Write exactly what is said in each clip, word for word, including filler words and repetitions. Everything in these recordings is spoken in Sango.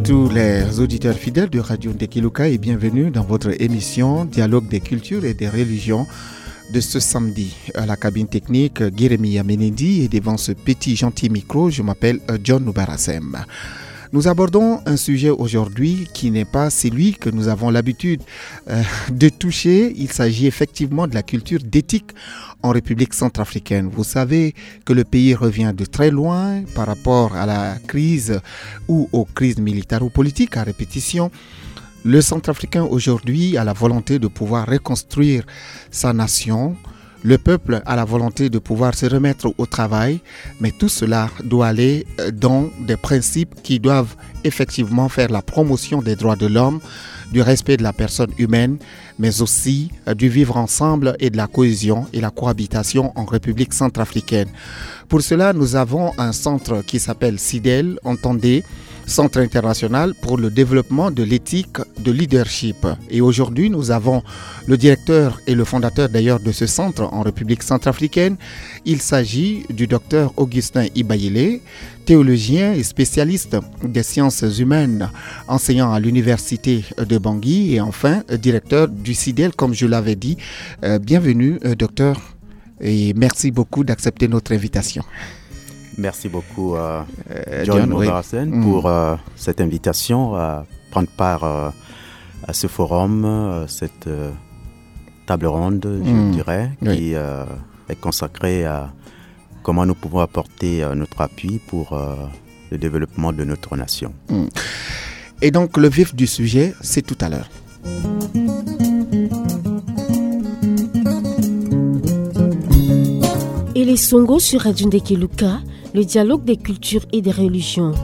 Tous les auditeurs fidèles de Radio Ndekiluka et bienvenue dans votre émission Dialogue des cultures et des religions de ce samedi. À la cabine technique, Guérémy Amenendi et devant ce petit gentil micro, je m'appelle euh, John Noubarassem. Nous abordons un sujet aujourd'hui qui n'est pas celui que nous avons l'habitude euh, de toucher. Il s'agit effectivement de la culture d'éthique en République centrafricaine. Vous savez que le pays revient de très loin par rapport à la crise ou aux crises militaires ou politiques à répétition. Le centrafricain aujourd'hui a la volonté de pouvoir reconstruire sa nation. Le peuple a la volonté de pouvoir se remettre au travail, mais tout cela doit aller euh, dans des principes qui doivent effectivement faire la promotion des droits de l'homme, du respect de la personne humaine, mais aussi euh, du vivre ensemble et de la cohésion et la cohabitation en République centrafricaine. Pour cela, nous avons un centre qui s'appelle CIDEL, entendez, Centre international pour le développement de l'éthique de leadership. Et aujourd'hui, nous avons le directeur et le fondateur d'ailleurs de ce centre en République centrafricaine. Il s'agit du docteur Augustin Ibayele, théologien et spécialiste des sciences humaines, enseignant à l'université de Bangui et enfin directeur du CIDEL, comme je l'avais dit. Euh, bienvenue, euh, docteur, et merci beaucoup d'accepter notre invitation. Merci beaucoup, euh, euh, John, John Noubarassem, mm. pour euh, cette invitation à prendre part euh, à ce forum, euh, cette euh, table ronde, je mm. dirais, oui. qui euh, est consacrée à comment nous pouvons apporter euh, notre appui pour euh, le développement de notre nation. Mm. Et donc, le vif du sujet, c'est tout à l'heure. Et les Songo sur Radio Ndekiluka, le dialogue des cultures et des religions.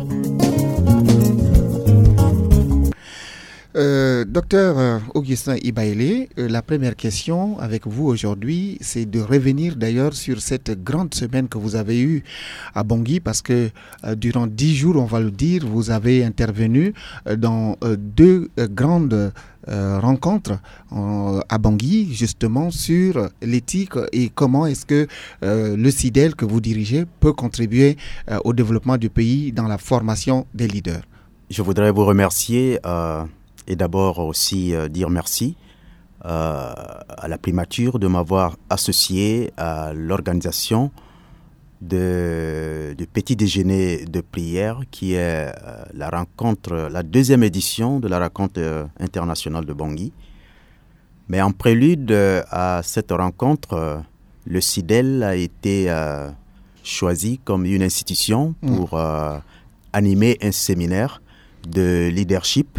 Euh, docteur euh, Augustin Ibaele, euh, la première question avec vous aujourd'hui, c'est de revenir d'ailleurs sur cette grande semaine que vous avez eue à Bangui, parce que euh, durant dix jours, on va le dire, vous avez intervenu euh, dans euh, deux euh, grandes euh, rencontres euh, à Bangui, justement, sur l'éthique et comment est-ce que euh, le CIDEL que vous dirigez peut contribuer euh, au développement du pays dans la formation des leaders. Je voudrais vous remercier euh, et d'abord aussi euh, dire merci euh, à la primature de m'avoir associé à l'organisation de, du petit déjeuner de prière qui est euh, la rencontre, la deuxième édition de la rencontre euh, internationale de Bangui. Mais en prélude euh, à cette rencontre, euh, le CIDEL a été euh, choisi comme une institution pour euh, animer un séminaire de leadership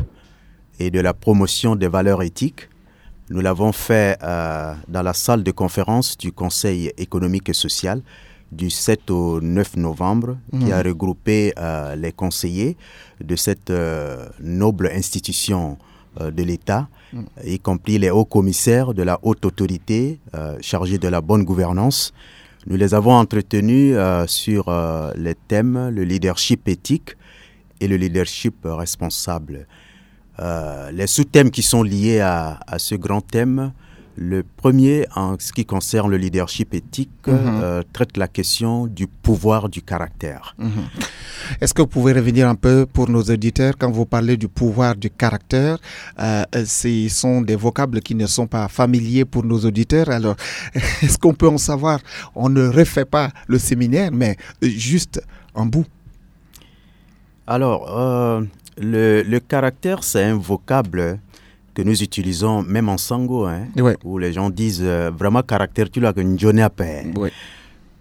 et de la promotion des valeurs éthiques. Nous l'avons fait euh, dans la salle de conférence du Conseil économique et social du sept au neuf novembre, qui a regroupé euh, les conseillers de cette euh, noble institution euh, de l'État, y compris les hauts commissaires de la haute autorité euh, chargés de la bonne gouvernance. Nous les avons entretenus euh, sur euh, les thèmes le leadership éthique et le leadership responsable. Euh, les sous-thèmes qui sont liés à, à ce grand thème, le premier, en ce qui concerne le leadership éthique, euh, traite la question du pouvoir du caractère. Est-ce que vous pouvez revenir un peu pour nos auditeurs quand vous parlez du pouvoir du caractère euh, Ce sont des vocables qui ne sont pas familiers pour nos auditeurs. Alors, est-ce qu'on peut en savoir ? On ne refait pas le séminaire, mais euh, juste en bout. Alors, euh, le, le caractère, c'est un vocable que nous utilisons même en sango, hein, Ouais. où les gens disent euh, vraiment caractère, tu l'as que njone ape. Oui.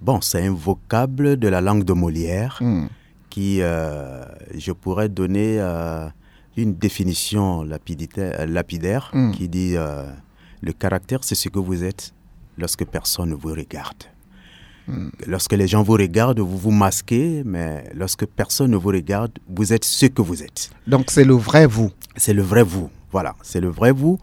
Bon, c'est un vocable de la langue de Molière Hmm. qui, euh, je pourrais donner euh, une définition lapidita- euh, lapidaire Mm. qui dit euh, le caractère, c'est ce que vous êtes lorsque personne ne vous regarde. Lorsque les gens vous regardent, vous vous masquez, mais lorsque personne ne vous regarde, vous êtes ce que vous êtes. Donc c'est le vrai vous. C'est le vrai vous. Voilà, c'est le vrai vous.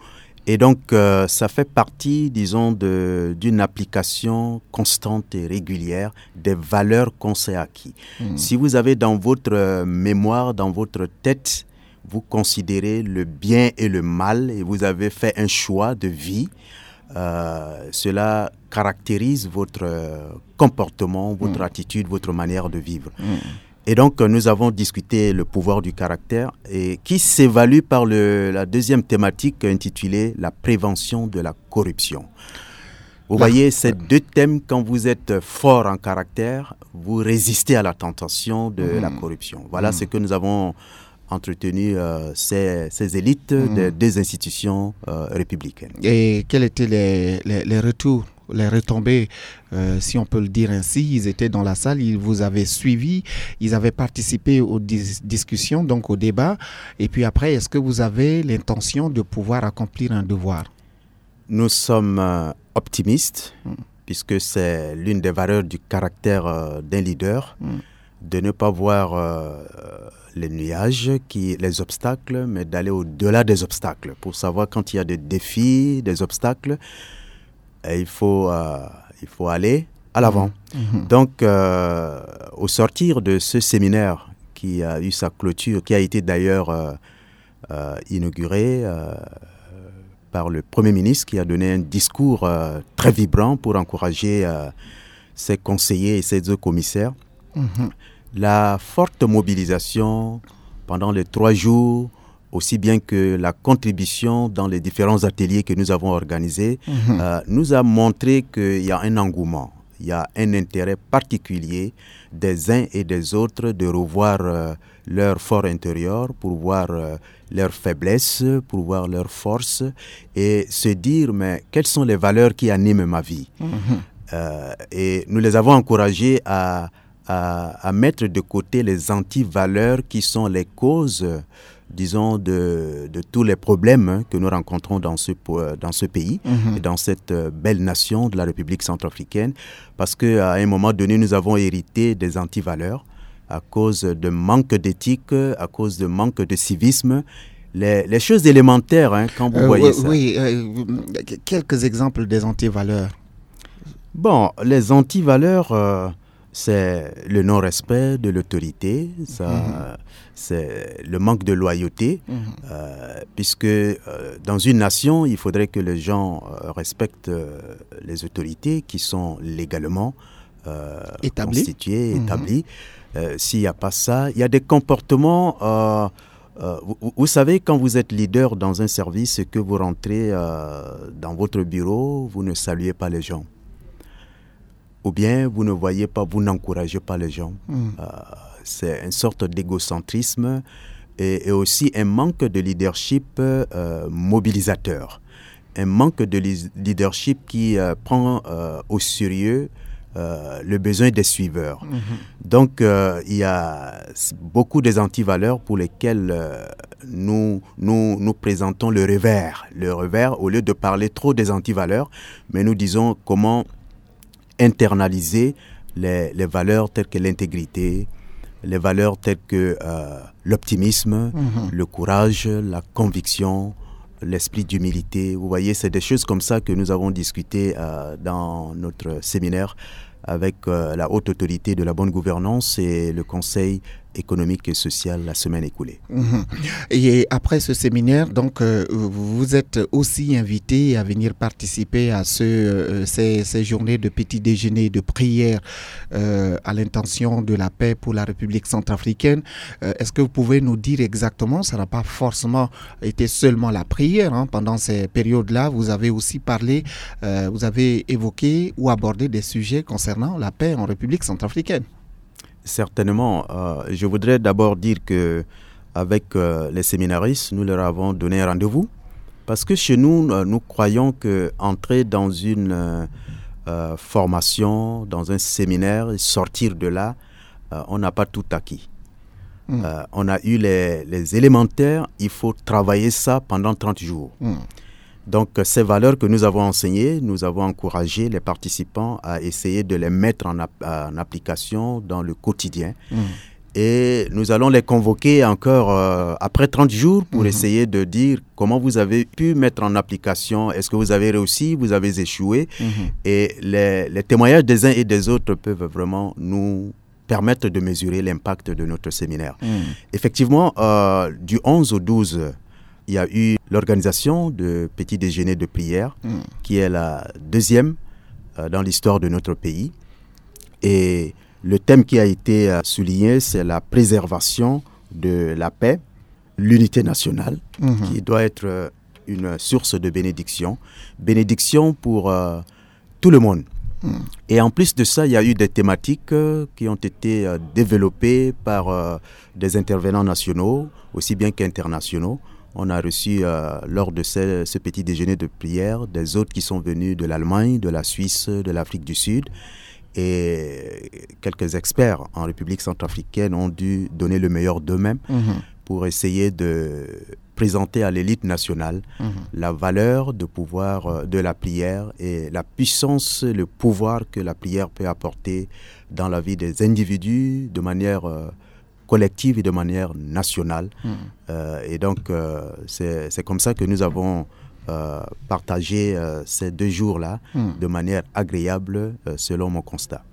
Et donc, euh, ça fait partie, disons, de- d'une application constante et régulière des valeurs qu'on s'est acquis. Si vous avez dans votre euh, mémoire, dans votre tête, vous considérez le bien et le mal et vous avez fait un choix de vie, euh, cela caractérise votre euh, comportement, votre attitude, votre manière de vivre. Et donc, euh, nous avons discuté le pouvoir du caractère et qui s'évalue par le, la deuxième thématique intitulée la prévention de la corruption. Vous voyez, ces deux thèmes, quand vous êtes fort en caractère, vous résistez à la tentation de la corruption. Voilà ce que nous avons entretenu euh, ces, ces élites des deux institutions euh, républicaines. Et quels étaient les, les, les retours, les retombées, euh, si on peut le dire ainsi? Ils étaient dans la salle, ils vous avaient suivi, ils avaient participé aux dis- discussions, donc au débat. Et puis après, est-ce que vous avez l'intention de pouvoir accomplir un devoir? Nous sommes euh, optimistes, puisque c'est l'une des valeurs du caractère euh, d'un leader, de ne pas voir euh, les nuages, qui, les obstacles, mais d'aller au-delà des obstacles pour savoir quand il y a des défis, des obstacles, et il faut, euh, il faut aller à l'avant. Donc, euh, au sortir de ce séminaire qui a eu sa clôture, qui a été d'ailleurs euh, euh, inauguré euh, par le Premier ministre, qui a donné un discours euh, très vibrant pour encourager euh, ses conseillers et ses deux commissaires, la forte mobilisation pendant les trois jours, aussi bien que la contribution dans les différents ateliers que nous avons organisés, euh, nous a montré qu'il y a un engouement, il y a un intérêt particulier des uns et des autres de revoir euh, leur fort intérieur pour voir euh, leurs faiblesses, pour voir leurs forces et se dire, mais quelles sont les valeurs qui animent ma vie? Euh, et nous les avons encouragés à, à, à mettre de côté les anti-valeurs qui sont les causes, disons, de, de tous les problèmes que nous rencontrons dans ce, po- dans ce pays et dans cette euh, belle nation de la République centrafricaine. Parce qu'à un moment donné, nous avons hérité des anti-valeurs à cause de manque d'éthique, à cause de manque de civisme. Les, les choses élémentaires, hein, quand vous Euh, voyez oui, ça. oui, euh, quelques exemples des anti-valeurs. Bon, les anti-valeurs, euh, c'est le non-respect de l'autorité, ça, c'est le manque de loyauté, euh, puisque euh, dans une nation, il faudrait que les gens euh, respectent euh, les autorités qui sont légalement euh, Établies. Constituées, établies. Euh, s'il n'y a pas ça, il y a des comportements... euh, euh, vous, vous savez, quand vous êtes leader dans un service, que vous rentrez euh, dans votre bureau, vous ne saluez pas les gens. Ou bien vous ne voyez pas, vous n'encouragez pas les gens. Euh, c'est une sorte d'égocentrisme et, et aussi un manque de leadership euh, mobilisateur. Un manque de li- leadership qui euh, prend euh, au sérieux euh, le besoin des suiveurs. Donc, euh, il y a s- beaucoup des antivaleurs pour lesquelles euh, nous, nous, nous présentons le revers. Le revers, au lieu de parler trop des antivaleurs, mais nous disons comment internaliser les, les valeurs telles que l'intégrité, les valeurs telles que euh, l'optimisme, le courage, la conviction, l'esprit d'humilité. Vous voyez, c'est des choses comme ça que nous avons discuté euh, dans notre séminaire avec euh, la haute autorité de la bonne gouvernance et le Conseil économique et social la semaine écoulée. Mhm. Et après ce séminaire, donc, euh, vous êtes aussi invité à venir participer à ce, euh, ces, ces journées de petit déjeuner, de prière euh, à l'intention de la paix pour la République centrafricaine. Euh, est-ce que vous pouvez nous dire exactement, ça n'a pas forcément été seulement la prière, hein, pendant ces périodes-là, vous avez aussi parlé, euh, vous avez évoqué ou abordé des sujets concernant la paix en République centrafricaine. Certainement. Euh, je voudrais d'abord dire que avec euh, les séminaristes, nous leur avons donné un rendez-vous. Parce que chez nous, euh, nous croyons que entrer dans une euh, euh, formation, dans un séminaire, et sortir de là, euh, on n'a pas tout acquis. Euh, on a eu les, les élémentaires, il faut travailler ça pendant trente jours. Donc, euh, ces valeurs que nous avons enseignées, nous avons encouragé les participants à essayer de les mettre en, ap- en application dans le quotidien. Et nous allons les convoquer encore euh, après trente jours pour essayer de dire comment vous avez pu mettre en application, est-ce que vous avez réussi, vous avez échoué. Et les, les témoignages des uns et des autres peuvent vraiment nous permettre de mesurer l'impact de notre séminaire. Effectivement, euh, du onze au douze, il y a eu l'organisation de petit déjeuner de prière, qui est la deuxième euh, dans l'histoire de notre pays. Et Le thème qui a été euh, souligné, c'est la préservation de la paix, l'unité nationale, qui doit être euh, une source de bénédiction. Bénédiction pour euh, tout le monde. Et en plus de ça, il y a eu des thématiques euh, qui ont été euh, développées par euh, des intervenants nationaux, aussi bien qu'internationaux. On a reçu euh, lors de ce, ce petit déjeuner de prière des hôtes qui sont venus de l'Allemagne, de la Suisse, de l'Afrique du Sud. Et quelques experts en République centrafricaine ont dû donner le meilleur d'eux-mêmes pour essayer de présenter à l'élite nationale la valeur de pouvoir, euh, de la prière et la puissance, le pouvoir que la prière peut apporter dans la vie des individus de manière euh, collective et de manière nationale. Euh, et donc, euh, c'est c'est comme ça que nous avons euh, partagé euh, ces deux jours-là de manière agréable, euh, selon mon constat.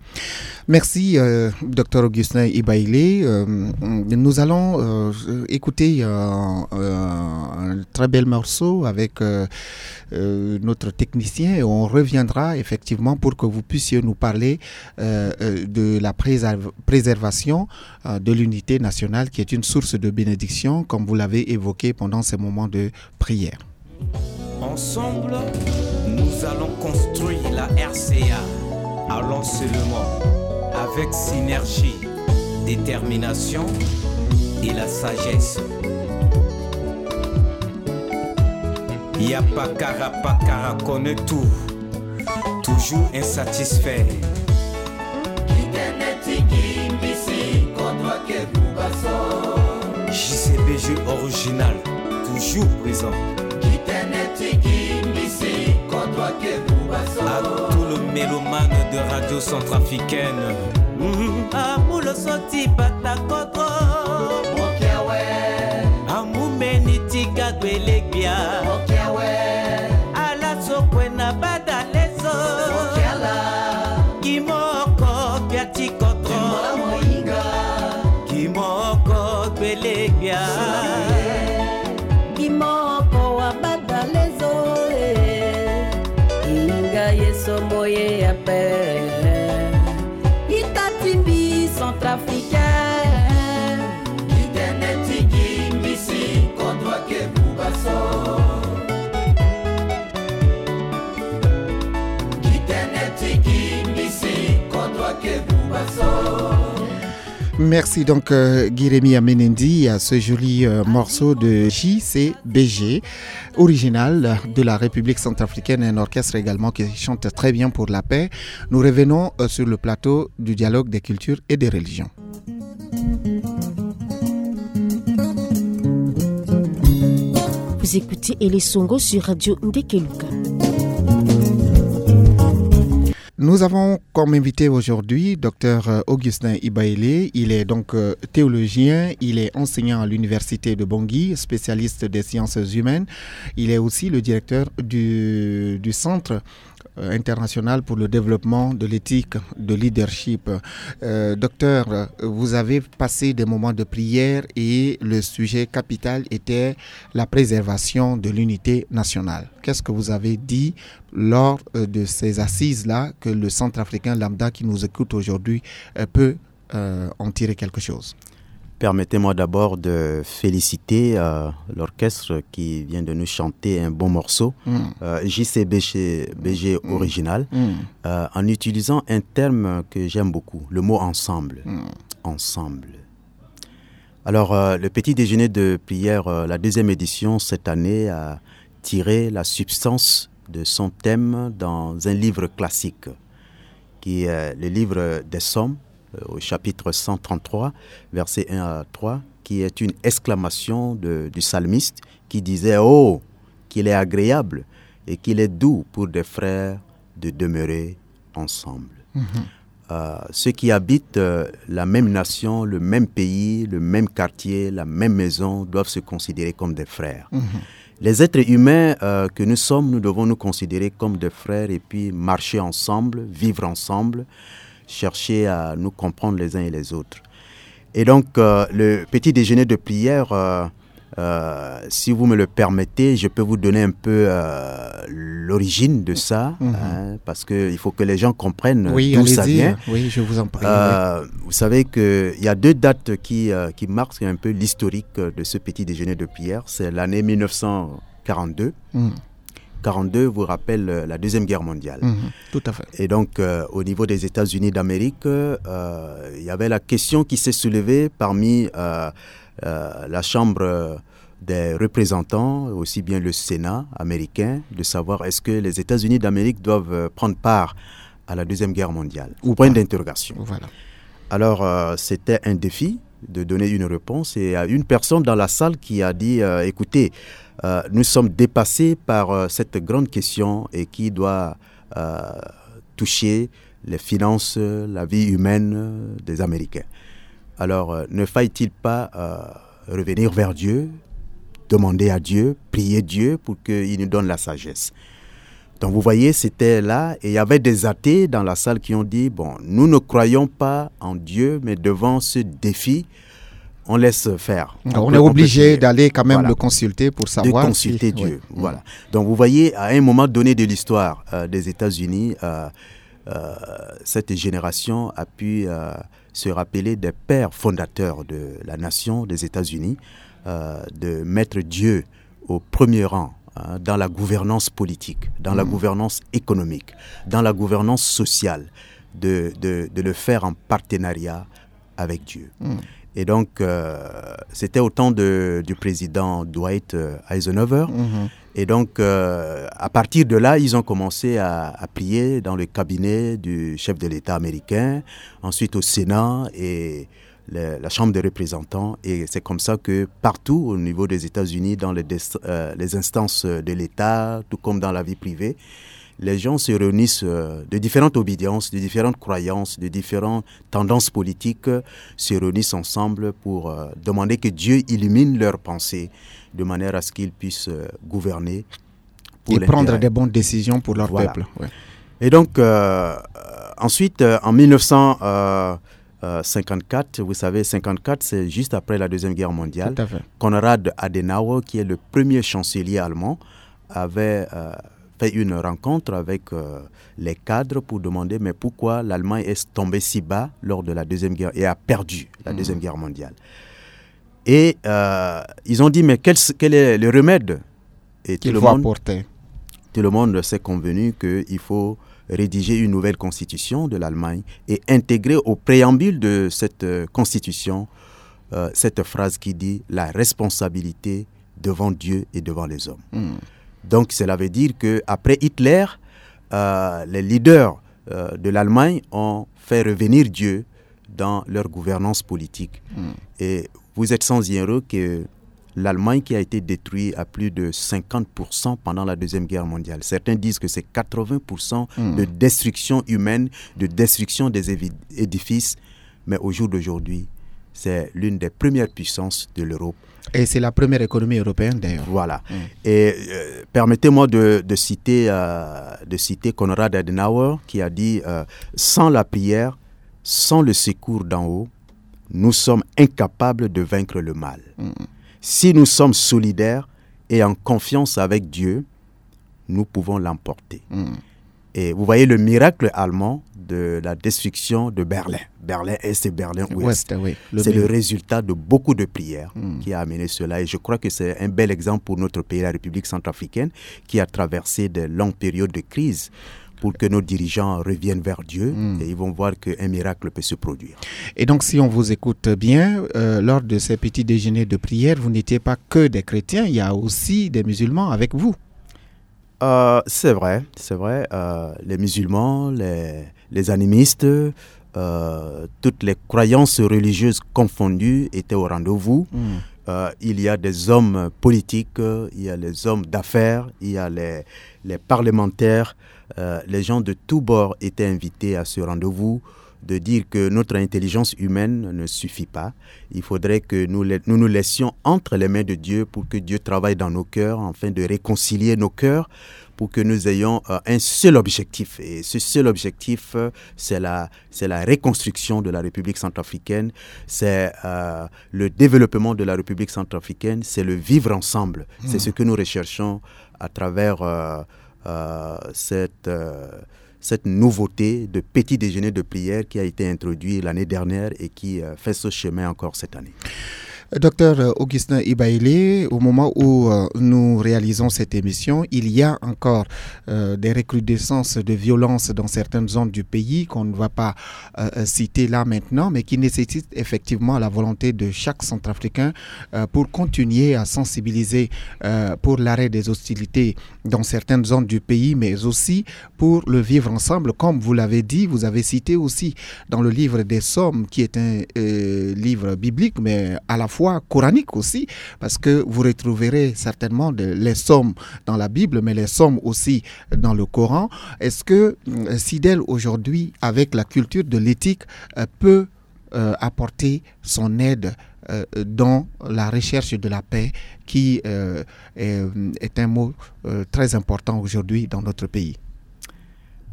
Merci, euh, docteur Augustin Ibailé. Euh, nous allons euh, écouter euh, euh, un très bel morceau avec euh, euh, notre technicien et on reviendra effectivement pour que vous puissiez nous parler euh, euh, de la préserv- préservation euh, de l'unité nationale qui est une source de bénédiction, comme vous l'avez évoqué pendant ces moments de prière. Ensemble, nous allons construire la R C A. Allons seulement avec synergie, détermination et la sagesse. Yapakara pakara connaît tout, toujours insatisfait. J C B G original, toujours présent. À tous les mélomanes de radio centrafricaine. Amulo soti bata kodro. Amu meni tika gwelegbia. Ala sokwe na badalezo. Kimoko biati kodro. Kimoko gbelegbia. Kimoko wa badalezo. Inga yeso moye ape. Itati bi centrafricain. Itene tiki mbisi kodro ke bubaso. Itene tiki mbisi kodro ke bubaso. Merci donc euh, Guy-Rémy Amenendi à ce joli euh, morceau de J C B G, original de la République centrafricaine, un orchestre également qui chante très bien pour la paix. Nous revenons euh, sur le plateau du dialogue des cultures et des religions. Vous écoutez Elesongo sur Radio Ndekeluka. Nous avons comme invité aujourd'hui docteur Augustin Ibaélé. Il est donc euh, théologien, il est enseignant à l'université de Bangui, spécialiste des sciences humaines. Il est aussi le directeur du, du centre euh, international pour le développement de l'éthique de leadership. Euh, docteur, vous avez passé des moments de prière et le sujet capital était la préservation de l'unité nationale. Qu'est-ce que vous avez dit lors euh, de ces assises-là que le centrafricain lambda qui nous écoute aujourd'hui euh, peut euh, en tirer quelque chose ? Permettez-moi d'abord de féliciter euh, l'orchestre qui vient de nous chanter un bon morceau, euh, J C B G, B G original, euh, en utilisant un terme que j'aime beaucoup, le mot ensemble. Ensemble. Alors, euh, le petit déjeuner de prière, euh, la deuxième édition cette année, a tiré la substance de son thème dans un livre classique, qui est le livre des Psaumes, euh, au chapitre cent trente-trois, versets un à trois, qui est une exclamation de- du psalmiste qui disait : « Oh, qu'il est agréable et qu'il est doux pour des frères de demeurer ensemble. » Euh, ceux qui habitent euh, la même nation, le même pays, le même quartier, la même maison doivent se considérer comme des frères. Les êtres humains euh, que nous sommes, nous devons nous considérer comme des frères et puis marcher ensemble, vivre ensemble, chercher à nous comprendre les uns et les autres. Et donc, euh, le petit déjeuner de prière euh, Euh, si vous me le permettez, je peux vous donner un peu euh, l'origine de ça, hein, parce qu'il faut que les gens comprennent Oui, d'où ça allez-y. vient. Oui, je vous en prie, oui. Euh, vous savez qu'il y a deux dates qui, euh, qui marquent un peu l'historique de ce petit déjeuner de prière. C'est l'année mille neuf cent quarante-deux. Mm. quarante-deux vous rappelle euh, la Deuxième Guerre mondiale. Mhm, tout à fait. Et donc, euh, au niveau des États-Unis d'Amérique, euh, il y avait la question qui s'est soulevée parmi euh, euh, la Chambre des représentants, aussi bien le Sénat américain, de savoir est-ce que les États-Unis d'Amérique doivent euh, prendre part à la Deuxième Guerre mondiale. Ou Point pas. d'interrogation. Voilà. Alors, euh, c'était un défi de donner une réponse. Et il y a une personne dans la salle qui a dit, euh, écoutez, euh, nous sommes dépassés par euh, cette grande question et qui doit euh, toucher les finances, la vie humaine euh, des Américains. Alors, euh, ne faille-t-il pas euh, revenir vers Dieu, demander à Dieu, prier Dieu pour qu'il nous donne la sagesse. Donc vous voyez, c'était là et il y avait des athées dans la salle qui ont dit, bon, nous ne croyons pas en Dieu, mais devant ce défi, on laisse faire. On On est peut- on peut obligé prier. d'aller quand même Voilà. le consulter pour De savoir consulter si- Dieu. oui. Voilà. Donc vous voyez, à un moment donné de l'histoire euh, des États-Unis, euh, euh, cette génération a pu euh, se rappeler des pères fondateurs de la nation des États-Unis, euh, de mettre Dieu au premier rang hein, dans la gouvernance politique, dans la Mm. gouvernance économique, dans la gouvernance sociale, de, de- de le faire en partenariat avec Dieu. Mm. Et donc, euh, c'était au temps de- du président Dwight euh, Eisenhower. Mhm. Et donc, euh, à partir de là, ils ont commencé à, à prier dans le cabinet du chef de l'État américain, ensuite au Sénat et le- la Chambre des représentants. Et c'est comme ça que partout au niveau des États-Unis, dans les, dest- euh, les instances de l'État, tout comme dans la vie privée, les gens se réunissent euh, de différentes obédiences, de différentes croyances, de différentes tendances politiques, euh, se réunissent ensemble pour euh, demander que Dieu illumine leurs pensées de manière à ce qu'ils puissent euh, gouverner pour Et prendre l'intérêt. des bonnes décisions pour leur Voilà. peuple. Ouais. Et donc, euh, euh, ensuite, euh, en mille neuf cent cinquante-quatre, vous savez, cinquante-quatre, c'est juste après la Deuxième Guerre mondiale. Tout à fait. Konrad Adenauer, qui est le premier chancelier allemand, avait euh, fait une rencontre avec euh, les cadres pour demander mais pourquoi l'Allemagne est tombée si bas lors de la Deuxième Guerre et a perdu la Mhm. Deuxième Guerre mondiale. Et euh, ils ont dit mais quel, quel est le remède Et tout Qu'il le faut monde, apporter. tout le monde s'est convenu qu'il faut rédiger une nouvelle constitution de l'Allemagne et intégrer au préambule de cette euh, constitution euh, cette phrase qui dit la responsabilité devant Dieu et devant les hommes. Hmm. Donc cela veut dire que après Hitler, euh, les leaders euh, de l'Allemagne ont fait revenir Dieu dans leur gouvernance politique. Hmm. Et vous êtes sans ignorer que l'Allemagne qui a été détruite à plus de cinquante pour cent pendant la Deuxième Guerre mondiale. Certains disent que c'est quatre-vingts pour cent Hmm. de destruction humaine, de destruction des évi- édifices. Mais au jour d'aujourd'hui, c'est l'une des premières puissances de l'Europe. Et c'est la première économie européenne d'ailleurs. Voilà. Mm. Et euh, permettez-moi de, de citer, euh, de citer Konrad Adenauer qui a dit euh, sans la prière, sans le secours d'en haut, nous sommes incapables de vaincre le mal. Mm. Si nous sommes solidaires et en confiance avec Dieu, nous pouvons l'emporter. Mm. Et vous voyez le miracle allemand de la destruction de Berlin. Berlin Est et Berlin Ouest. Ouest, oui. Le C'est le mur. résultat de beaucoup de prières Mm. qui a amené cela. Et je crois que c'est un bel exemple pour notre pays, la République centrafricaine, qui a traversé de longues périodes de crise pour que nos dirigeants reviennent vers Dieu Mm. et ils vont voir qu'un miracle peut se produire. Et donc, si on vous écoute bien, euh, lors de ces petits déjeuners de prière, vous n'étiez pas que des chrétiens, il y a aussi des musulmans avec vous. Euh, c'est vrai, c'est vrai. Euh, les musulmans, les, les animistes, euh, toutes les croyances religieuses confondues étaient au rendez-vous. Mm. Euh, il y a des hommes politiques, euh, il y a les hommes d'affaires, il y a les, les parlementaires. Euh, les gens de tous bords étaient invités à ce rendez-vous de dire que notre intelligence humaine ne suffit pas. Il faudrait que nous, nous nous laissions entre les mains de Dieu pour que Dieu travaille dans nos cœurs afin de réconcilier nos cœurs pour que nous ayons euh, un seul objectif. Et ce seul objectif, euh, c'est la, c'est la reconstruction de la République centrafricaine, c'est euh, le développement de la République centrafricaine, c'est le vivre ensemble. C'est ce que nous recherchons à travers euh, euh, cette, euh, cette nouveauté de petit déjeuner de prière qui a été introduit l'année dernière et qui euh, fait ce chemin encore cette année. Docteur Augustin Ibailé, au moment où euh, nous réalisons cette émission, il y a encore euh, des recrudescences de violence dans certaines zones du pays qu'on ne va pas euh, citer là maintenant, mais qui nécessitent effectivement la volonté de chaque centrafricain euh, pour continuer à sensibiliser euh, pour l'arrêt des hostilités dans certaines zones du pays, mais aussi pour le vivre ensemble. Comme vous l'avez dit, vous avez cité aussi dans le livre des Psaumes, qui est un euh, livre biblique, mais à la fois coranique aussi, parce que vous retrouverez certainement de, les psaumes dans la Bible, mais les psaumes aussi dans le Coran. Est-ce que euh, Sidel aujourd'hui, avec la culture de l'éthique, euh, peut euh, apporter son aide euh, dans la recherche de la paix, qui euh, est, est un mot euh, très important aujourd'hui dans notre pays ?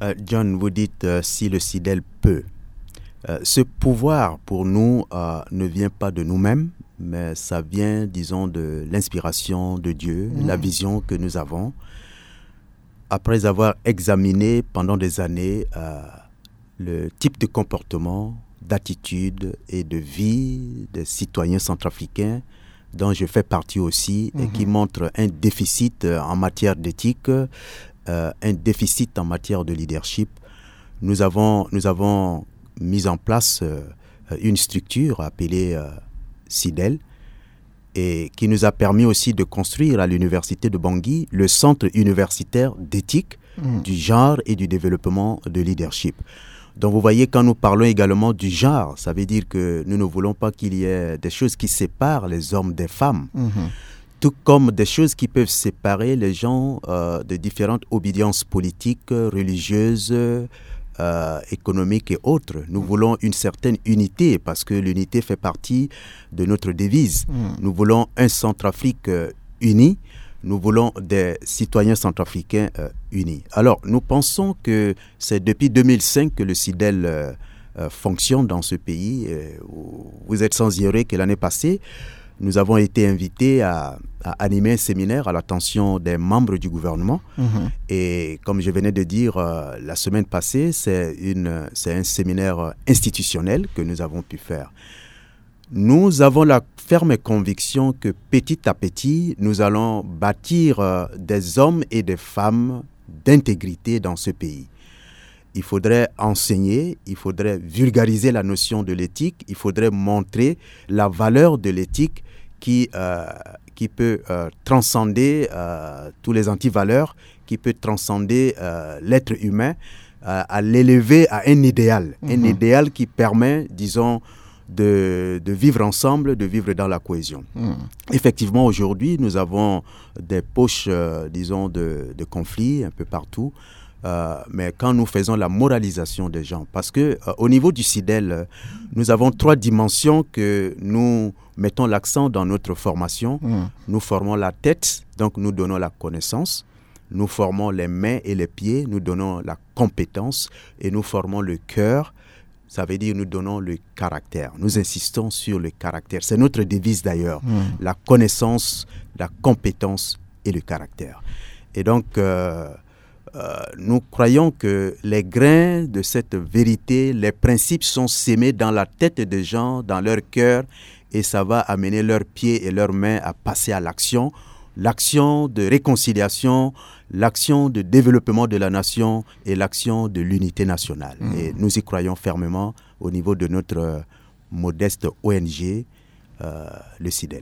Euh, John, vous dites euh, si le Sidel peut. Euh, ce pouvoir, pour nous, euh, ne vient pas de nous-mêmes, mais ça vient, disons, de l'inspiration de Dieu, la vision que nous avons. Après avoir examiné pendant des années euh, le type de comportement, d'attitude et de vie des citoyens centrafricains, dont je fais partie aussi, et qui montrent un déficit euh, en matière d'éthique, euh, un déficit en matière de leadership. Nous avons, nous avons mis en place euh, une structure appelée euh, Sidel, et qui nous a permis aussi de construire à l'université de Bangui le centre universitaire d'éthique, du genre et du développement de leadership. Donc vous voyez, quand nous parlons également du genre, ça veut dire que nous ne voulons pas qu'il y ait des choses qui séparent les hommes des femmes. Tout comme des choses qui peuvent séparer les gens euh, de différentes obédiences politiques, religieuses, euh, économiques et autres. Nous voulons une certaine unité parce que l'unité fait partie de notre devise. Nous voulons un Centrafrique euh, uni. Nous voulons des citoyens centrafricains euh, unis. Alors, nous pensons que c'est depuis deux mille cinq que le Sidel euh, euh, fonctionne dans ce pays. Euh, vous êtes sans ignorer que l'année passée, nous avons été invités à, à animer un séminaire à l'attention des membres du gouvernement. Et comme je venais de dire, euh, la semaine passée, c'est une, c'est un séminaire euh, institutionnel que nous avons pu faire. Nous avons la ferme conviction que petit à petit, nous allons bâtir euh, des hommes et des femmes d'intégrité dans ce pays. Il faudrait enseigner, il faudrait vulgariser la notion de l'éthique, il faudrait montrer la valeur de l'éthique qui, euh, qui peut euh, transcender euh, tous les antivaleurs, qui peut transcender euh, l'être humain, euh, à l'élever à un idéal, un idéal qui permet, disons, de, de vivre ensemble, de vivre dans la cohésion. Effectivement, aujourd'hui, nous avons des poches, euh, disons, de, de conflits un peu partout. Euh, mais quand nous faisons la moralisation des gens, parce que euh, au niveau du Sidel, euh, nous avons trois dimensions que nous mettons l'accent dans notre formation. Nous formons la tête, donc nous donnons la connaissance. Nous formons les mains et les pieds, nous donnons la compétence et nous formons le cœur. Ça veut dire nous donnons le caractère. Nous insistons sur le caractère. C'est notre devise d'ailleurs. La connaissance, la compétence et le caractère. Et donc, euh, euh, nous croyons que les grains de cette vérité, les principes sont sémés dans la tête des gens, dans leur cœur, et ça va amener leurs pieds et leurs mains à passer à l'action. L'action de réconciliation, l'action de développement de la nation et l'action de l'unité nationale. Et nous y croyons fermement au niveau de notre euh, modeste O N G, euh, le Sidel.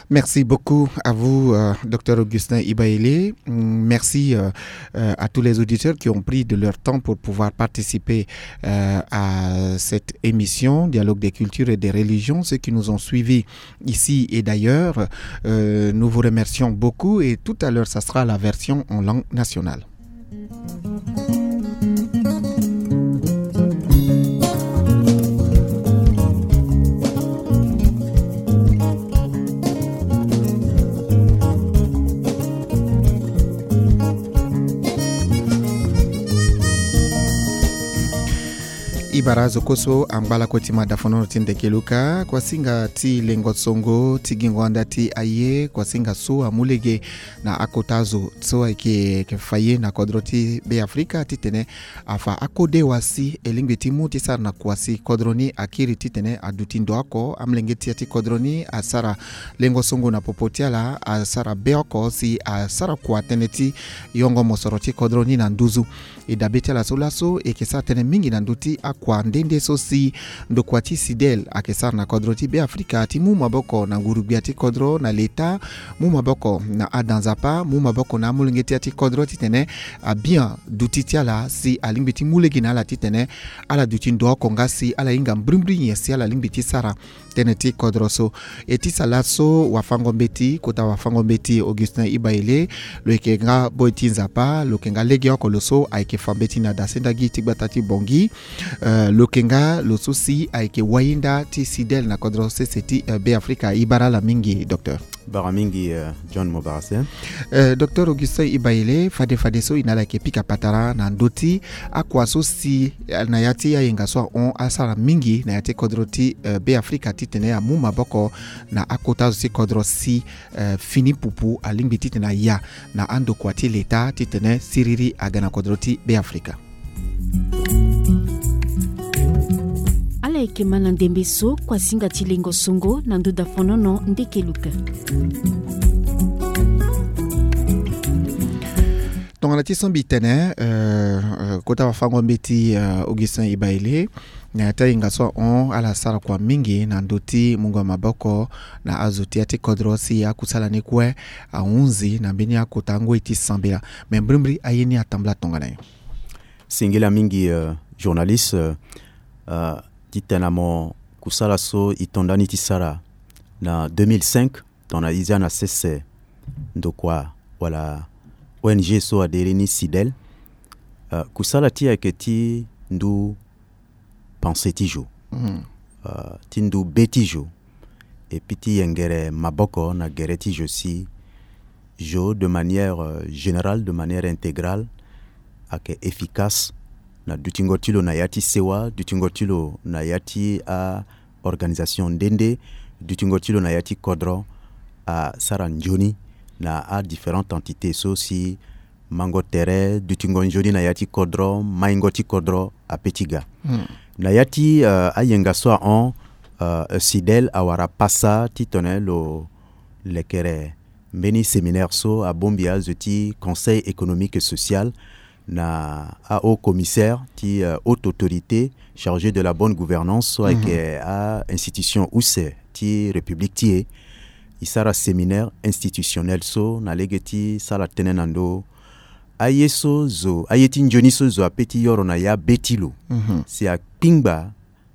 Merci beaucoup à vous, euh, Dr Augustin Ibaele. Merci euh, euh, à tous les auditeurs qui ont pris de leur temps pour pouvoir participer euh, à cette émission, Dialogue des cultures et des religions, ceux qui nous ont suivis ici et d'ailleurs. Euh, nous vous remercions beaucoup et tout à l'heure, ça sera la version en langue nationale. E bara azo kue so angba lakue ti madafonono ti ndeke luka, kuasinga ti lengo songo ti gingo anda ti aye, kuasinga so amu lege na akota azo so ayeke, yeke fa ye na kodro ti Beafrika titene afa akode wa si e lingbi ti mu ti sara na kua si kodro ni akiri titene aduti ndo oko, amolenge ti ya ti kodro ni asara lengo songo na popo ti ala, asara be oko si asara kua tënë ti yongo mosoro ti kodro ni na nduzu. E dabe ti ala so laso e yeke sara tënë mingi na ndö ti akua nde nde so si ndokua ti CIDEL ayeke sara na kodro ti Beafrika ti mu maboko na nguru-gbia ti kodro, na leta, mu maboko na ada nzapa, mu maboko na amolenge ti ya ti kodro titene abian duti ti ala si alingbi ti mu lege na ala titene ala duti ndo oko nga si ala hinga mbrimbri nyen si ala lingbi ti sara tënë ti kodro so. E ti sa laso wafango-mbeti, kota wafango-mbeti Augustin Ibaele, lo yeke nga boi ti nzapa, lo yeke nga legeoko lo so ayeke fa mbeti na dasendagi ti gbata ti Bangui. Eh, lo yeke nga lo so si ayeke wayinda ti CIDEL na kodro sese ti, eh, Beafrika. E bara ala mingi, docteur. Bara mingi, eh, John Mobarase. Eh, docteur Augustin Ibaele, fade fadeso e na ala yeke pika patara na ndö ti akua so si, eh, na ya ti ayenga so ahon asara mingi na ya ti kodro ti, eh, Beafrika titene amu maboko na akota zo ti kodro si, eh, fini pupu alingbi titene aya na andokua ti leta titene siriri aga na kodro ti Beafrika. Ala yeke ma na ndembe so kuasinga ti lengo songo na ndö dafonono ndeke luka. Tongana ti sombi tene, eh, eh, kota wafango-mbeti, eh, Augustin Ibaele, na ya ti ayenga so ahon ala sara kua mingi na ndö ti mungo maboko na azo ti ya ti kodro si akusala ni kue ahunzi na mbeni akota ngoi ti sambela. Me mbrimbri aye ni atambula tongana nyen? Singila mingi, euh, journaliste, euh, euh, titene na mo kusala so e to nda ni ti sara na deux mille cinq, tongana e zia na sese ndokua wala O N G so adere ni CIDEL. Euh, kusala ti e ayeke ti ndu pensée ti zo, euh, ti ndu be ti zo, et puis ti yengere maboko na gere ti zo si zo de manière, euh, générale, de manière intégrale, ayeke efficace na dutingo ti lo na ya ti sewa, dutingo ti lo na ya ti a organisation nde nde, dutingo ti lo na ya ti kodro asara nzoni na a différentes entités so si mango tere, dutingo nzoni na ya ti kodro, maingo ti kodro ape ti ga. Hmm. Na ya ti, euh, ayenga so ahon, euh, CIDEL awara pasa titene lo lekere mbeni séminaire so abongbi azo ti Conseil économique et social na a haut commissaire ti, euh, haute autorité chargée de la bonne gouvernance so ayeke a institution use ti République ti e. E sara séminaire institutionnel so na lege ti sara tënë na ndö aye so zo, aye ti nzoni so zo ape ti yoro na ya be ti lo. Mhm. Si akpingba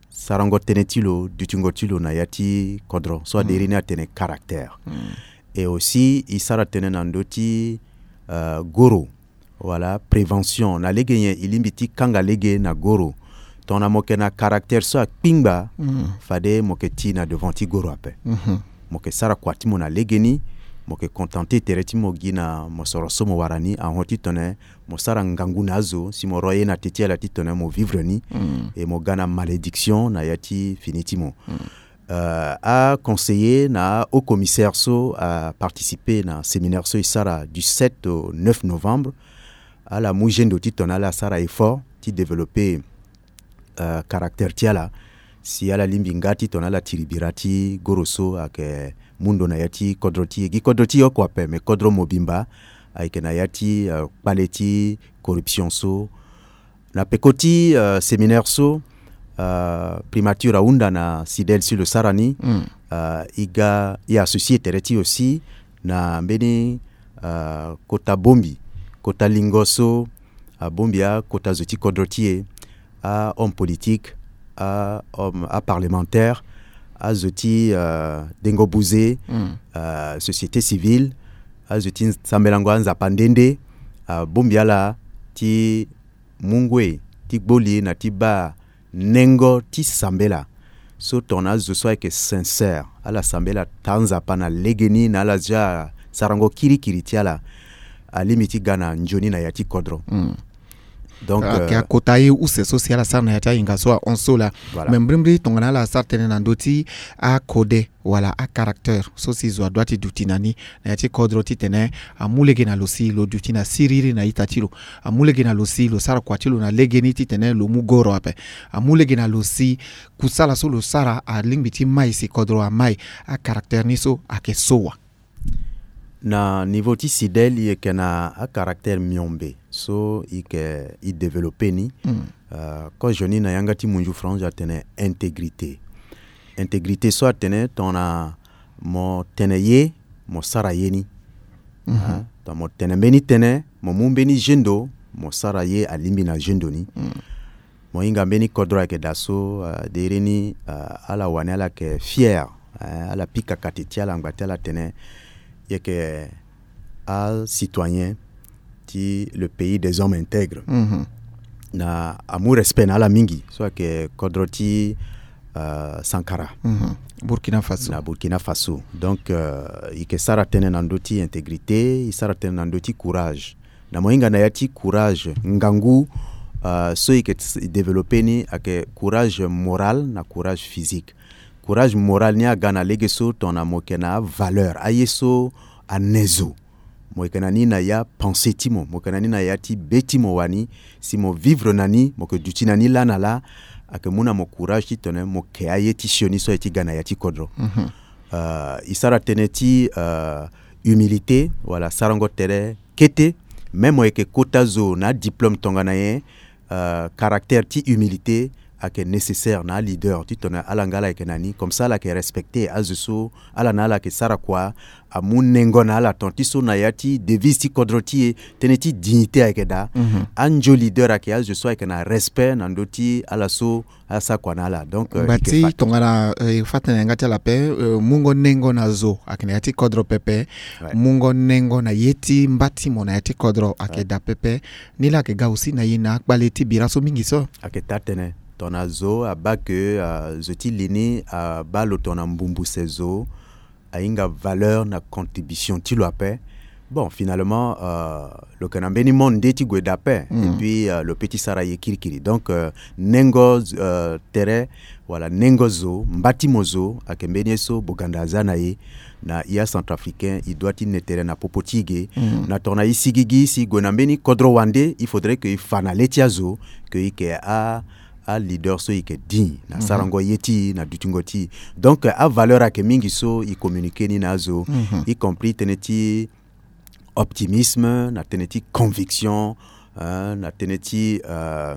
sarango tënë ti lo, dutingo ti lo na ya ti kodro so adere ni atene caractère. Mm. Et aussi e sara tënë na ndö ti, euh, goro wala prévention. Na lege nyen e lingbi ti kanga lege na goro? Tongana mo yeke na caractère so akpingba, mm, fade mo yeke ti na devant ti goro ape. Mhm. Mo yeke sara kua ti mo na legeni, mo yeke contenter tere ti mo gi na mosoro so mo wara ni, ahon titene mo sara ngangu na azo si mo ro ye na te ti ala titene mo vivre ni, mm, et mo ga na malédiction na ya ti fini ti mo. Mm. Euh, aconseiller na ahaut commissaire so aparticiper na séminaire so e sara du sept au neuf novembre. Ala mu gendo titene ala sara effort ti développer, euh, caractère ti ala si ala lingbi nga titene ala tiri bira ti goro so ayeke mu ndo na ya ti kodro ti e. Gi kodro ti e oko ape, mais kodro mobimba ayeke na ya ti, euh, kpale ti corruption so. Na peko ti, euh, séminaire so, euh, primature ahunda na CIDEL si lo sara ni, mm, euh, e ga e associer tere ti e aussi na mbeni, euh, kota bongbi, kota lingo so abongbi akota zo ti kodro ti e, ahomme politique, ahomme, aparlementaire, azo ti, euh, dengo buze, mm, euh, société civile, azo ti sambelango anzapa nde nde, abongbi ala ti mu ngoi ti gbo li na ti baa nengo ti sambela so tongana azo so ayeke sincère, ala sambela taa nzapa na legeni na ala zia sarango kirikiri ti ala, alingbi ti ga na nzoni na ya ti kodro. Mm. Donc, ayeke, euh, akota ye use so si ala sara na ya ti ahinga so ahon so laa. Voilà. Me mbrimbri tongana ala sara tënë na ndö ti akode wala acaractère so si zo adoit ti duti na ni na ya ti kodro titene amu lege na lo si lo duti na siriri na ita ti lo, amu lege na lo si lo sara kua ti lo na legeni titene lo mu goro ape, amu lege na lo si kusala so lo sara alingbi ti mai si kodro amai. Acaractère ni so ayeke so wa? Na niveau ti CIDEL, i yeke na acaractère miombe so i yeke i développé ni. Mm. Euh, kozo ni na yanga ti munzu France atene intégrité. Intégrité so atene tongana mo tene ye, mo sara ye ni. Mhm. Ah, tongana mo tene mbeni tënë, mo mu mbeni zendo, mo sara ye alingbi na zendo ni. Mm. Mo hinga mbeni kodro ayeke daa so, ah, dereni, ah, ala wani ala yeke fier, eh, ala pika kate ti ala ngba ti ala tene i yeke acitoyen ti le pays des hommes intègres. Mhm. Na amu respect na ala mingi so ayeke kodro ti, ah, Sankara. Mhm. Burkina Faso. Na Burkina Faso. Donc, euh, i yeke sara tënë na ndö ti intégrité, i sara tënë na ndö ti courage. Na mo hinga na ya ti courage, ngangu, euh, so i yeke développé ni ayeke courage moral na courage physique. Courage moral ni aga na lege so tongana mo yeke na avaleur, aye so ane zo. Mo yeke na ni na ya pensée ti mo, mo yeke na ni na ya ti be ti mo wani, si mo vivre na ni, mo yeke duti na ni laa na laa, ayeke mu na mo courage titene mo ke aye ti sioni so aye ti ga na ya ti kodro. Mhm. Euh, i sara tënë ti, euh, humilité, wala sarango tere kete, même mo yeke kota zo na adiplôme tongana nyen, euh, caractère ti humilité ayeke nécessaire na aleader titene ala nga ala yeke na ni, comme ça ala yeke respecté azo so ala na ala yeke sara kua, amu nengo na ala tant ti so na ya ti devise ti kodro ti e, tënë ti dignité ayeke daa. Mhm. Anzo leader ayeke azo so ayeke na respect na ndö ti ala so asara kua na ala. Donc, euh, ngba ti tongana, euh, e fa tënë na yanga ti ala ape, euh, mungo nengo na zo ayeke na ya ti kodro pepe. Ouais. Mungo nengo na ye ti mba ti mo na ya ti kodro ayeke daa pepe. Ni laa ayeke ga aussi na ye na akpale ti bira so mingi so. Ayeke taa tënë. Tongana zo abaa ke, euh, zo ti li ni abaa lo tongana mbumbuse zo, ahinga valeur na contribution ti lo ape. Bon, finalement, euh, lo yeke na mbeni monde nde ti gue daa ape. Mm. Et puis, euh, lo peut ti sara ye kirikiri. Donc, euh, nengo, euh, tere, wala nengo zo, mba ti mo zo, ayeke mbeni ye so boganda aza na ye. Na i acentrafricain, i doit ti ne tere na popo ti i ge. Mm. Na tongana i sigigi, si i gue na mbeni kodro wande, il faudrait que i fa na le ti azo, que i yeke a aleader so i yeke digne na, mhm, sarango ye ti i, na dutingo ti i. Donc, euh, avaleur ayeke mingi so i communiqué ni na azo, mhm, y compris tënë ti optimisme, na tënë ti conviction, euh, na tënë ti, euh,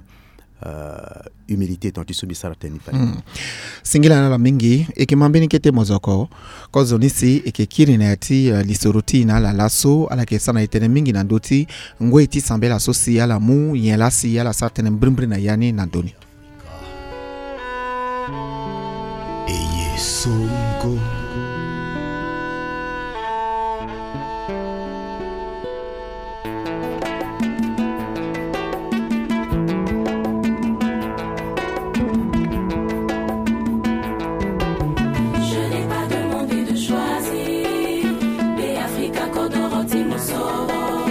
euh, humilité, tant ti so mbi sara tënë ni fade. Mm. Singila na ala mingi, e yeke ma mbeni kete mozoko. Kozo ni si e yeke kiri na ya ti, euh, lisoro ti e na ala laso, ala yeke sara na e tënë mingi na ndö ti ngoi ti sambela so si ala mu nyen laa si ala sara tënë mbrimbri na ya ni na ndö ni. Eye songo. Je n'ai pas demandé de choisir. Be Afrika kodoro ti mosoro.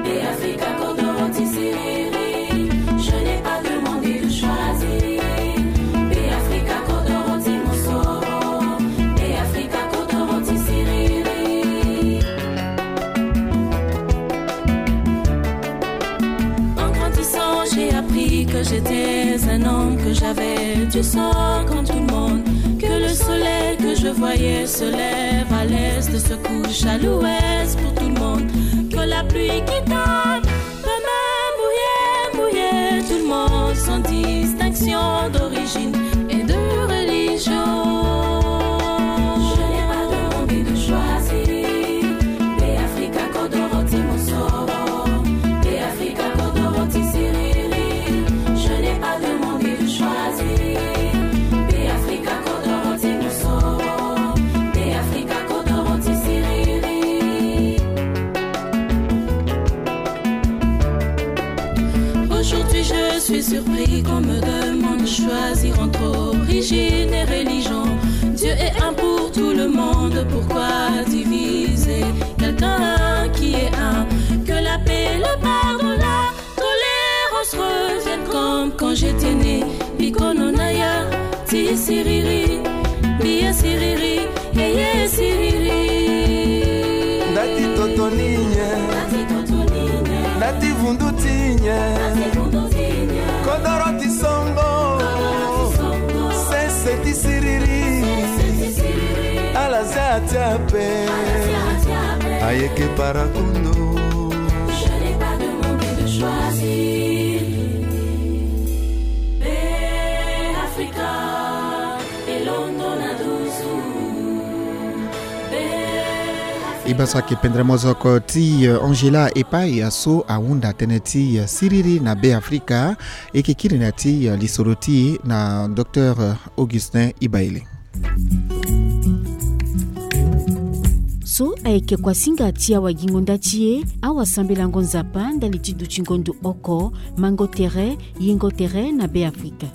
Be Afrika kodoro ti siriri. Je n'ai pas demandé de choisir. Be Afrika kodoro ti mosoro. Be Afrika kodoro ti siriri. En grandissant, j'ai appris que j'étais un homme, que j'avais du sang comme tout le monde, que le soleil que je voyais se lève à l'est, se couche à l'ouest pour tout le monde, que la pluie qui tombe peut même mouiller, mouiller tout le monde sans distinction d'origine et de religion. Je n'ai pas demandé de choisir. Be Afrika kodoro ti mosoro. Be Afrika kodoro ti siriri. Je n'ai pas demandé de choisir. Be Afrika kodoro ti mosoro. Be Afrika kodoro ti siriri. Aujourd'hui, je suis surpris qu'on me demande de choisir entre origine et religion. Dieu est un pour tout le monde, pourquoi diviser quelqu'un qui est un ? Que la paix, le pardon, la tolérance Mundu ti nyen? Kodoro ti songo. Sese ti siriri. Ala za ti ape. Ayeke para kondo. E baa so ayeke pendere mozoko ti, eh, Angela Epai, aso ahunda tënë ti, eh, siriri na Be Afrika. E yeke kiri na ya ti, eh, lisoro ti e na Docteur, eh, Augustin Ibaile. So ayeke kuasinga ti awagingo nda ti e, awasambelango Nzapa ndali ti dutingo ndo oko, mango tere, yengo tere na Be Afrika.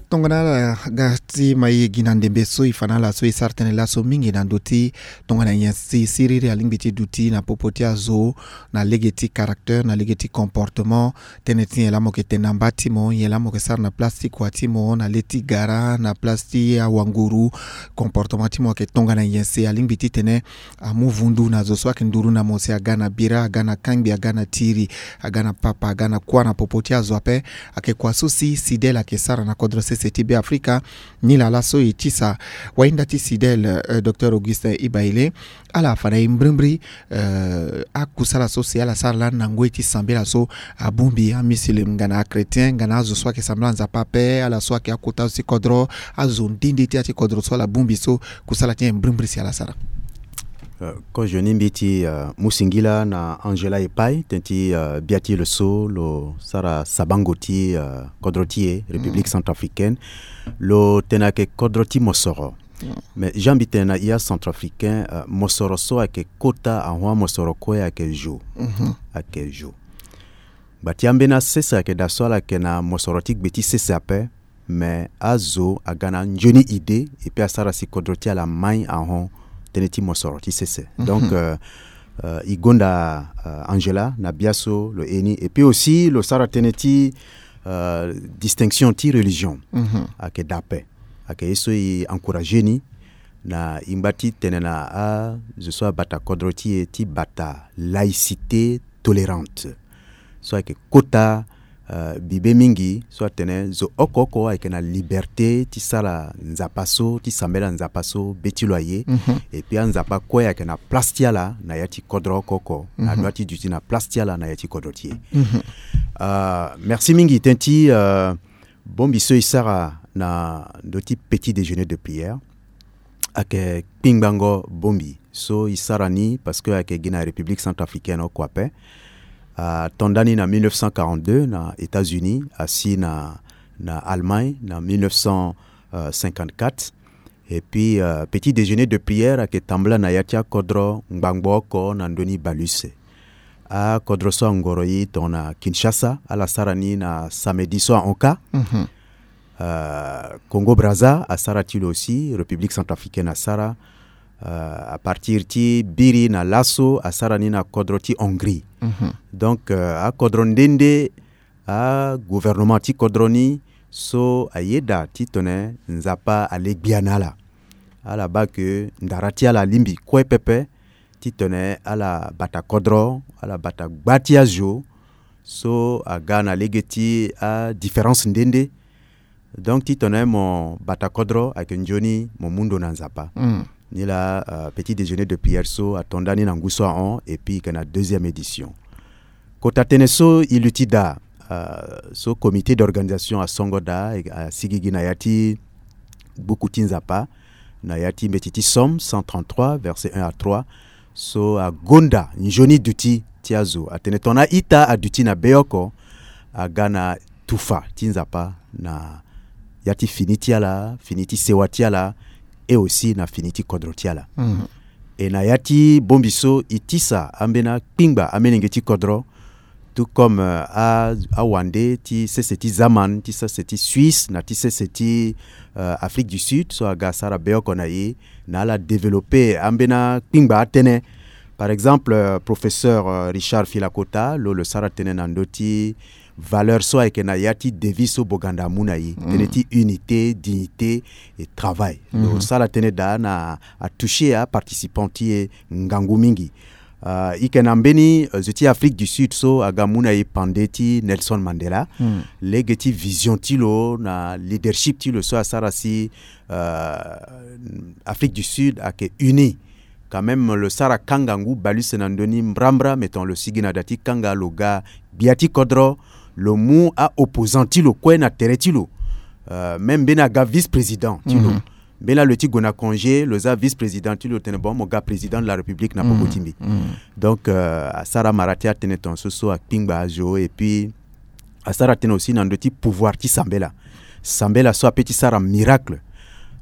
Tongana ala ga ti ma e gi na ndembe so e fa na ala so e sara tënë laso mingi na ndö ti tongana nyen si siriri alingbi ti duti na popo ti azo, na lege ti caractère, na lege ti comportement, tënë ti nyen laa mo yeke tene na mba ti mo, nyen laa mo yeke sara na place ti kua ti mo, na le ti gara, na place ti awanguru, comportement ti mo ayeke tongana nyen si alingbi titene amu vundu na zo so ayeke nduru na mo si aga na bira, aga na kangbi, aga na tiri, aga na papa, aga na kuâ na popo ti azo ape. Ayeke kua so si Sidel ayeke sara na kodro sese ti Be Afrika. Nilaa laso e tisa wahinda ti Sidel, eh, Docteur Augustin Ibaile. Ala fa na e mbrimbri, eh, akusala so si ala sara lani na ngoi ti sambela so abongbi amisilem nga na achrétien nga na azo so ayeke sambela Nzapa ape, ala so ayeke akota azo ti kodro, azo nde nde ti ya ti kodro so ala bongbi so, kusala ti nyen mbrimbri si ala sara? Eh, kozo ni mbi ti, eh, mu singila na Angela Epai, tënë ti, eh, bia ti lo so lo sara sabango ti, eh, kodro ti e, République centrafricaine. Lo tene ayeke kodro ti mosoro. Mais Jean, mbi tene na e acentrafricain, eh, mosoro so ayeke kota ahon amosoro kue ayeke zo. Ayeke zo. Gba ti ambeni asese ayeke daa so ala yeke na mosoro ti gbe ti sese ape, mais azo aga na anzoni idée, et puis asara si kodro ti ala mai ahon tënë ti mosoro ti sese. Donc, euh, euh, e gonda, euh, Angela na bia so lo ye ni, et puis aussi lo sara tënë ti, euh, distinction ti religion. Ayeke daa ape. Ayeke ye so e encourager ni na e ngba ti tene na azo so abata kodro ti e ti bata laïcité tolérante. So ayeke kota, euh, bibe mingi so atene zo oko oko ayeke na liberté ti sara Nzapa so, ti sambela Nzapa so be ti lo aye. Et puis anzapa kue ayeke na place ti ala na ya ti kodro oko oko. Adua ti duti na place ti ala na ya ti kodro ti e. Euh, merci mingi tënë ti, euh, bongbi so e sara na ndö ti petit déjeuner de prière. Ayeke kpingbango bongbi so e sara ni parce que ayeke gi na République centrafricaine oko ape. Ato nda ni na mille neuf cent quarante-deux na États-Unis, asi na, na Allemagne na mille neuf cent cinquante-quatre. Et puis, euh, petit déjeuner de prière ayeke tambula na ya ti akodro ngbangbo oko na ndö ni bale use. Akodro so angoro e tongana Kinshasa, ala sara ni na samedi so ahon kâ. Euh, Congo Brazza asara ti lo aussi, République centrafricaine asara. Euh, à partir ti biri na laso asara ni na kodro ti Hongrie. Donc, euh, akodro nde nde, agouvernement ti kodro ni so ayeda titene Nzapa ale gbia na ala. Ala baa ke ndara ti ala alingbi kue pepe titene ala bata kodro, ala bata gba ti azo so aga na lege ti adifférence nde nde. Donc titene mo bata kodro ayeke nzoni mo mu ndo na Nzapa. Nilaa, euh, petit déjeuner de prière so ato nda ni na ngu so ahon, et puis e yeke na deuxième édition. Kota tënë so e luti daa, euh, so comité d'organisation asongo daa, e, asigi gi na ya ti buku ti Nzapa, na ya ti mbeti ti Psaume cent trente-trois, verset un à trois, so agonda nzoni duti ti azo. Atene tongana a-ita aduti na be oko, aga na tufa ti Nzapa na ya ti fini ti ala, fini ti sewa ti ala, et aussi na fini ti kodro ti ala. E na ya ti bongbi so e tisa ambeni akpingba amolenge ti kodro, tout comme, euh, a, awande ti sese ti Zaman, ti sese ti Suisse, na ti sese ti, euh, Afrique du Sud, so aga asara be oko na e, na ala développer ambeni akpingba atënë. Par exemple, euh, professeur, euh, Richard Filakota, lo, lo sara tënë na ndö ti valeur so ayeke na ya ti devise so Boganda amu na e, tënë ti unité, dignité et travail. Lo sara tënë daa na atoucher aparticipant ti e ngangu mingi. Uh, i yeke na mbeni, uh, zo ti Afrique du Sud so aga mu na e pande ti Nelson Mandela. Lege ti vision ti lo na leadership ti lo so asara si, uh, Afrique du Sud ayeke uni. Quand même lo sara kanga ngu baleuse na ndö ni mbrambra, mais tongana lo sigi na da ti kanga, lo ga gbia ti kodro, lo mu a-opposant ti lo kue na tere ti lo. Uh, même mbeni aga vice-président ti lo. Mbeni laa lo ye ti gue na congé, lo za vice-président ti lo, lo tene bon, mo ga président de la République na poko ti mbi. Donc, euh, asara mara ti atene tongaso so akpingba azo, et puis asara tënë aussi na ndö ti pouvoir ti sambela. Sambela so ape ti sara miracle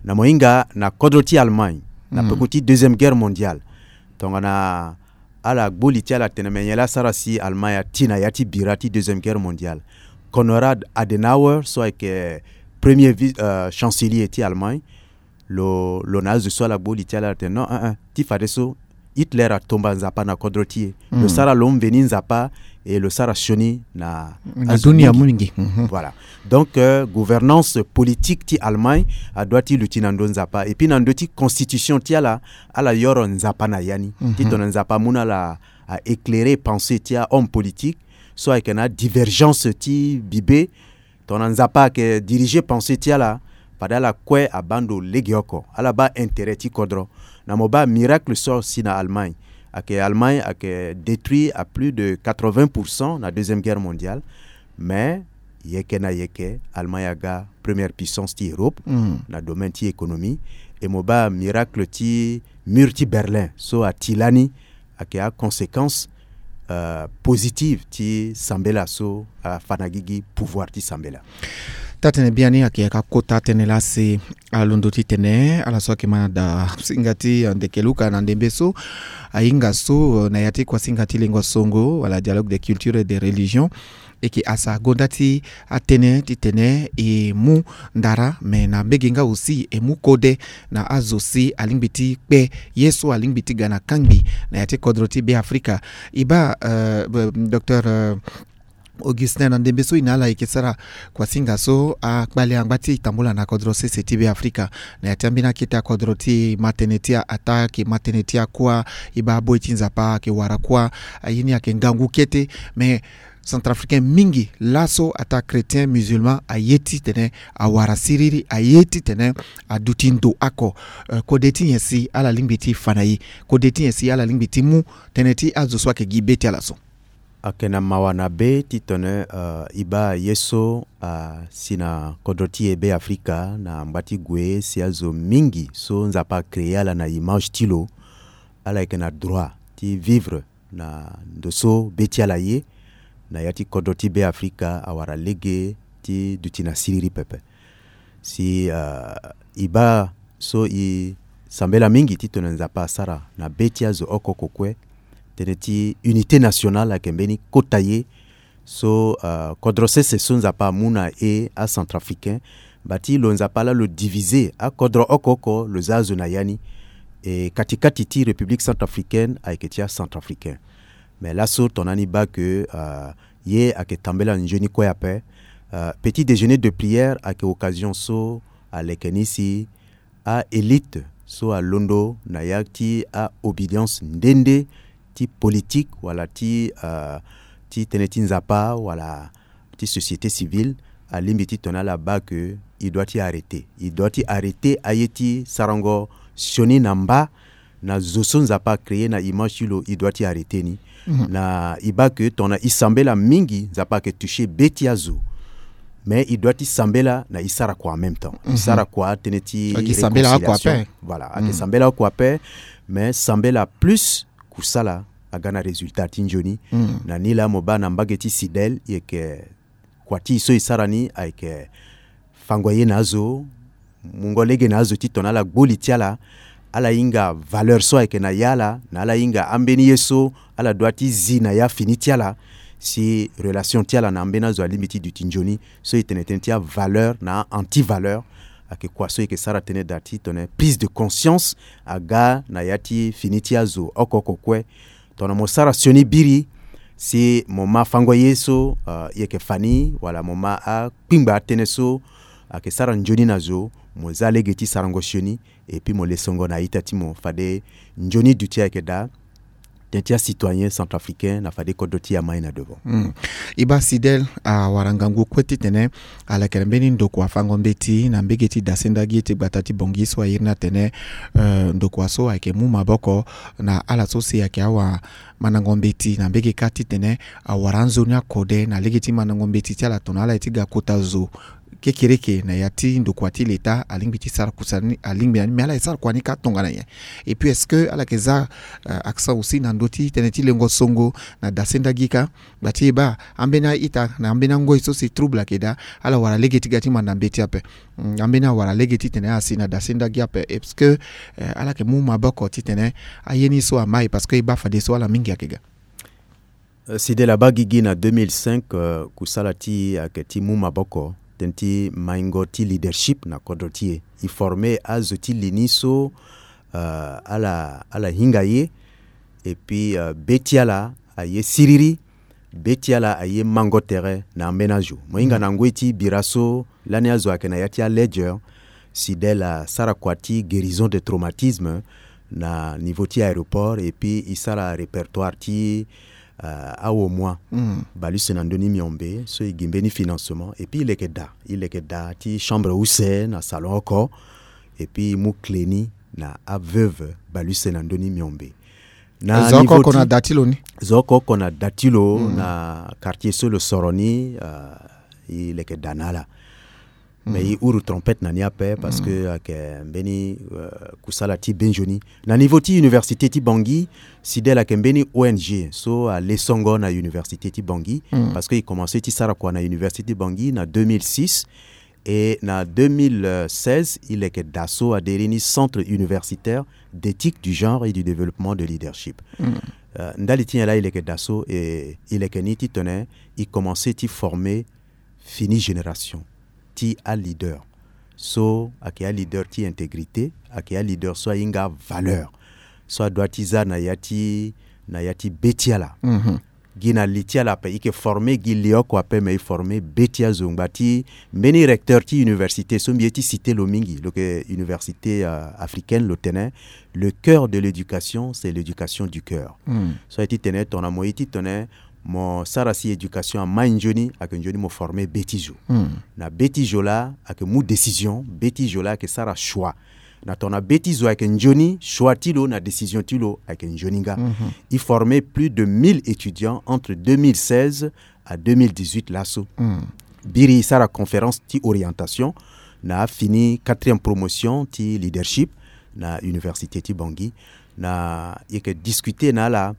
na mo hinga na kodro ti Allemagne na peko ti Deuxième Guerre mondiale. Tongana ala gbo li ti ala atene me nyen laa asara si Allemagne ati na ya ti bira ti Deuxième Guerre mondiale. Konrad Adenauer so ayeke premier vice, euh, chancelier ti Allemagne, lo, lo na azo so ala gbo li ti ala atene non, eh, eh, ti fadeso Hitler atomba Nzapa na kodro ti e. Lo sara lo mveni Nzapa, e lo sara sioni na, na azo dunia mingi. Mingi. Voilà. Donc, euh, gouvernance politique ti Allemagne adoit ti luti na ndö Nzapa. Et puis na ndö ti constitution ti ala, ala yoro Nzapa na ya ni. Ti tongana Nzapa amu na ala a éclairer pensée ti a-homme politique so ayeke na divergence ti bibe. Tongana Nzapa ayeke diriger pensée ti ala, fade ala kue abaa ndo legeoko, ala baa intérêt ti kodro. Na mo baa miracle so asi na Allemagne. Ayeke Allemagne ayeke détruit à plus de quatre-vingts pour cent na Deuxième Guerre mondiale. Mais yeke na yeke, Allemagne aga première puissance ti Europe na domaine ti économie. E mo baa miracle ti mur ti Berlin so ati lani ayeke aconséquence, euh, positive ti sambela so afa na gigi pouvoir ti sambela. Taa-tënë biani ayeke yaka kota tënë laa si alondo titene ala so ayeke ma da singa ti, euh, ndeke luka na ndembe so ahinga so, euh, na ya ti kuasinga ti lengo songo wala dialogue des cultures et des religions. E yeke asa gonda ti atënë titene e mu ndara, me na mbege nga aussi e mu kode na azo si alingbi ti kpe ye so alingbi ti ga na kangbi na ya ti kodro ti Beafrika. E baa, euh, docteur, euh, Augustin, na ndembe so e na ala e yeke sara kuasinga so akpale angba ti e tambula na kodro sese ti Beafrika. Na ya ti ambeni akete akodro ti e, ma tënë ti a-attaque, ma tënë ti akuâ, e baa aboi ti Nzapa ayeke wara kuâ, aye ni ayeke ngangu kete. Mais Centrafricain mingi laso ataa chrétien, musulman, aye titene awara siriri, aye titene aduti ndo oko. Euh, kode ti nyen si ala lingbi ti fa na e? Kode ti nyen si ala lingbi ti mu tënë ti azo so ayeke gi be ti ala so? Ayeke na mawa na be titene, euh, e baa ye so asi na kodro ti e Beafrika na ngba ti gue si azo mingi so Nzapa acréer ala na image ti lo, ala yeke na droit ti vivre na ndo so be ti ala ye na ya ti kodro ti Beafrika awara lege ti duti na siriri pepe. Si, euh, e baa so e sambela mingi titene Nzapa asara na be ti azo oko oko kue. Tënë ti unité nationale ayeke mbeni kota ye so, euh, kodro sese so Nzapa amu na e acentrafricain, bati lo Nzapa laa lo diviser akodro oko oko, lo za azo na ya ni. E kati kati ti République centrafricaine ayeke ti acentrafricain. Mais laso tongana ni baa ke, euh, ye ayeke tambela nzoni kue ape. Euh, petit déjeuner de prière ayeke occasion so aleke ni si a-élite so alondo na ya ti a-obédience nde nde ti politique wala ti, euh, ti tënë ti Nzapa wala ti société civile, alingbi titene ala baa ke e doit ti arrêter. E doit ti arrêter aye ti sarango sioni na mba na zo so Nzapa acréer na image ti lo, e doit ti arrêter ni. Na e baa ke tongana e sambela mingi, Nzapa ayeke toucher be ti azo. Mais e doit ti sambela na e sara kua en même temps. E sara kua tënë ti réconciliation. Voilà, ayeke sambela oko ape, mais sambela plus kusala aga na résultat ti nzoni. Na ni laa mo baa na mbage ti Cidel, e yeke kua ti e so e sara ni ayeke fango ye na azo, mungo lege na azo titene ala gbo li ti ala, ala hinga valeur so ayeke na ya ala, na ala hinga ambeni ye so ala doit ti zi na ya fini ti ala, si relation ti ala na ambeni azo alingbi ti duti nzoni. So e tene tënë ti avaleur na a-antivaleur, ayeke kua so e yeke sara tënë daa titene prise de conscience aga na ya ti fini ti azo oko oko kue. Tongana mo sara sioni biri si mo ma fango ye so, euh, e yeke fa ni, wala mo ma akpingba atënë so ayeke sara nzoni na zo, mo za lege ti sarango sioni, et puis mo lesongo na a-ita ti mo fade nzoni duti ayeke daa. tënë ti acitoyen centrafricain na fade kodro ti e amai na devant. Mm. E baa Sidel awara ngangu kue titene ala yeke na mbeni ndokua fango mbeti na mbege ti dasenda gi ti gbata ti Bangui so a iri ni atene, eh, ndokua so ayeke mu maboko na ala so si ayeke awamandango mbeti na mbege kâ titene awara anzoni akode na lege ti mandango mbeti ti ala tongana ala ye ti ga kota zo kekereke na ya ti ndokua ti leta, alingbi ti sara kusa ni, alingbi na ni, mais ala ye sara kua ni kâ tongana nyen? Et puis est-ce que ala yeke za, euh, accent aussi na ndö ti tënë ti lengo songo na dasenda gi kâ? Gba ti e baa ambeni a-ita na ambeni angoi so si trouble ayeke daa, ala wara lege ti ga ti manda mbeti ape. Mm, ambeni awara lege titene asi na dasenda gi ape. Est-ce que, euh, ala yeke mu maboko titene aye ni so amai? Parce que e baa fadeso ala mingi ayeke ga. Euh, Sidel abaa gigi na deux mille cinq, euh, kusala ti e ayeke ti mu maboko tënë ti maingo ti leadership na kodro ti e. E forme azo ti li ni so, euh, ala, ala hinga ye. Et puis, euh, be ti ala aye siriri, be ti ala aye mango tere na ambeni azo. Mo hinga na ngoi ti bira so lani azo ayeke na ya ti aledger, Sidel asara kua ti guérison de traumatisme na niveau ti aéroport, et puis e sara répertoire ti, euh, awo moi. Mm. Bale use na ndö ni miombe so e gi mbeni financement, et puis e leke daa, e leke daa ti chambre use na salon oko, et puis e mu clé ni na aveuve bale use na ndö ni miombe. Na zo oko niveau oko ti na da ti lo ni. Zo oko oko na da ti lo, mm, na quartier so lo soro ni, euh, e leke daa na ala. Mais, mm, e huru trompette na ni ape parce, mm, que ayeke mbeni, euh, kusala ti be nzoni. Na niveau ti université ti Bangui, Sidel ayeke mbeni O N G so ale songo na université ti Bangui, mm, parce que e commencé ti sara kua na université ti Bangui na deux mille six. Et na deux mille seize, e leke daa so a iri ni Centre universitaire d'éthique du genre et du développement de leadership. Mm. Euh, ndali ti nyen laa e leke daa so? E, e leke ni titene e commencé ti former fini génération ti aleader so ayeke aleader ti intégrité, ayeke aleader so ahinga valeur, so adoit ti za na ya ti, na ya ti be ti ala. Mhm. Gi na li ti ala ape, e yeke former gi li oko ape, mais e former be ti azo. Ngba ti mbeni recteur ti université so mbi ye ti citer lo mingi, lo yeke université, euh, africaine, lo tene: le cœur de l'éducation, c'est l'éducation du cœur. Mm. So aye titene tongana mo ye titene mo sara si éducation amai nzoni, ayeke nzoni mo former be ti zo. Mm. Na be ti zo laa ayeke mu décision, be ti zo laa ayeke sara choix. Na tongana be ti zo ayeke nzoni, choix ti lo na décision ti lo ayeke nzoni nga. Mhm. E former plus de mille étudiants entre deux mille seize à deux mille dix-huit laso. Mm. Biri e sara conférence ti orientation na afini quatrième promotion ti leadership na université ti Bangui. Na e yeke discuter na ala,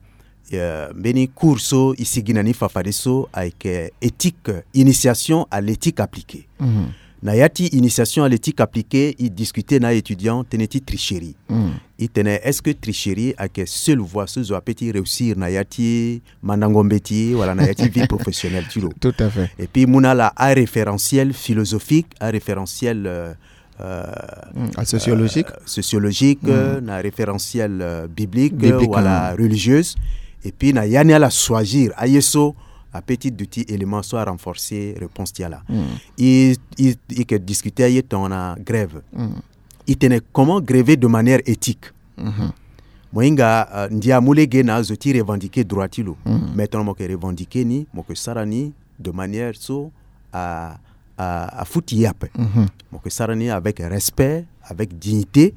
euh, mbeni cours so e sigi na ni fafadeso ayeke éthique, initiation à l'éthique appliquée. Mhm. Na ya ti initiation à l'éthique appliquée, e discuter na a-étudiant tënë ti tricherie. Mm. E tene, est-ce que tricherie ayeke seule voie so zo ape ti réussir na ya ti mandango mbeti wala na ya ti vie professionnelle ti lo? Tout à fait. Et puis e mu na ala aréférentiel philosophique, aréférentiel, euh, euh, mm, a sociologique, euh, sociologique, mm, euh, na référentiel, euh, biblique, euh, biblique, wala, mm, religieuse. Et puis na ya ni ala choisir aye so apeut ti duti élément so a renforcer réponse ti ala. Mm. E, e, e yeke discuter aye tongana grève. Mm. E tene comment gréver de manière éthique. Mhm. Mo hinga, euh, ndia amu lege na azo ti revendiquer droit ti lo. Mm. Mais tongana mo yeke revendiquer ni, mo yeke sara ni de manière so a, a, afuti ye ape. Mhm. Mo yeke sara ni avec respect, avec dignité.